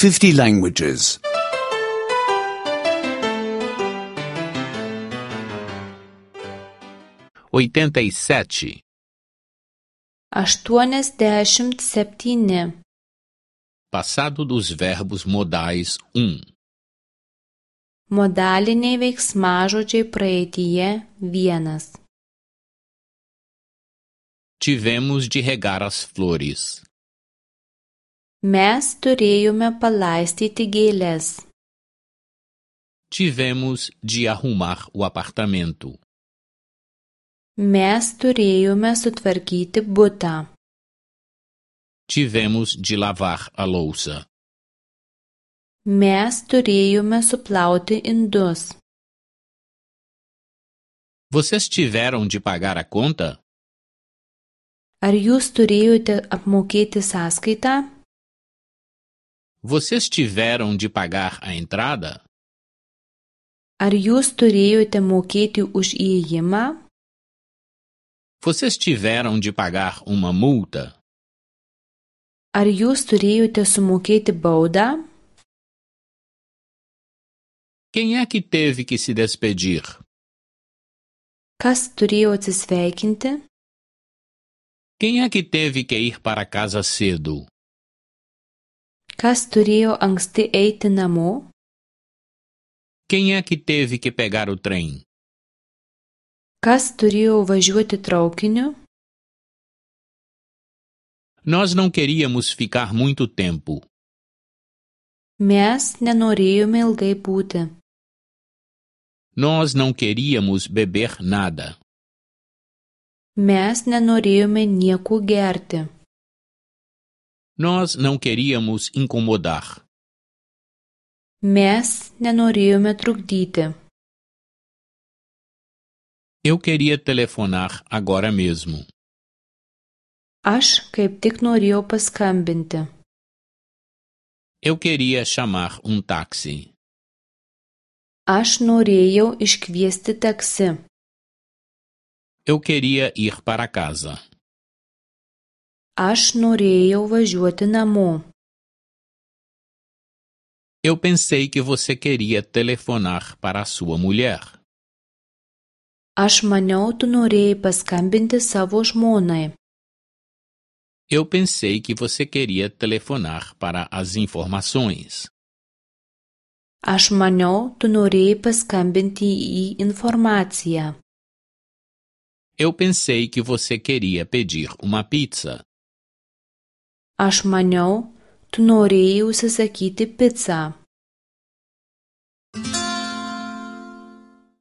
50 languages. 87. 87. Passado dos verbos modais 1. Modaliniai veiksmažodžiai praeityje 1. Tivemos de regar as flores. Mes turėjome palaistyti gėles. Tivemos de arrumar o apartamento. Mes turėjome sutvarkyti butą. Tivemos de lavar a louça. Mes turėjome suplauti indus. Vocês tiveram de pagar a conta? Ar jūs turėjote apmokėti sąskaitą? Vocês tiveram de pagar a entrada? Ar jūs turėjote mokėti už įėjimą? Vocês tiveram de pagar uma multa? Ar jūs turėjote sumokėti baudą? Quem é que teve que se despedir? Kas turėjo atsisveikinti? Quem é que teve que ir para casa cedo? Kas turėjo anksti eiti namo? Quem é que teve que pegar o trem? Kas turėjo važiuoti traukiniu? Nós não queríamos ficar muito tempo. Mes nenorėjome ilgai būti. Nós não queríamos beber nada. Mes nenorėjome nieko gerti. Nós não queríamos incomodar. Mes nenorėjome trukdyti. Eu queria telefonar agora mesmo. Aš kaip tik norėjau paskambinti. Eu queria chamar um táxi. Aš norėjau iškviesti taksi. Eu queria ir para casa. Aš norėjau važiuoti namo. Eu pensei que você queria telefonar para a sua mulher. Aš maniau, tu norėjai paskambinti savo žmonai. Eu pensei que você queria telefonar para as informações. Aš maniau, tu norėjai paskambinti į informaciją. Eu pensei que você queria pedir uma pizza. Aš maniau, tu norėjai užsisakyti picą.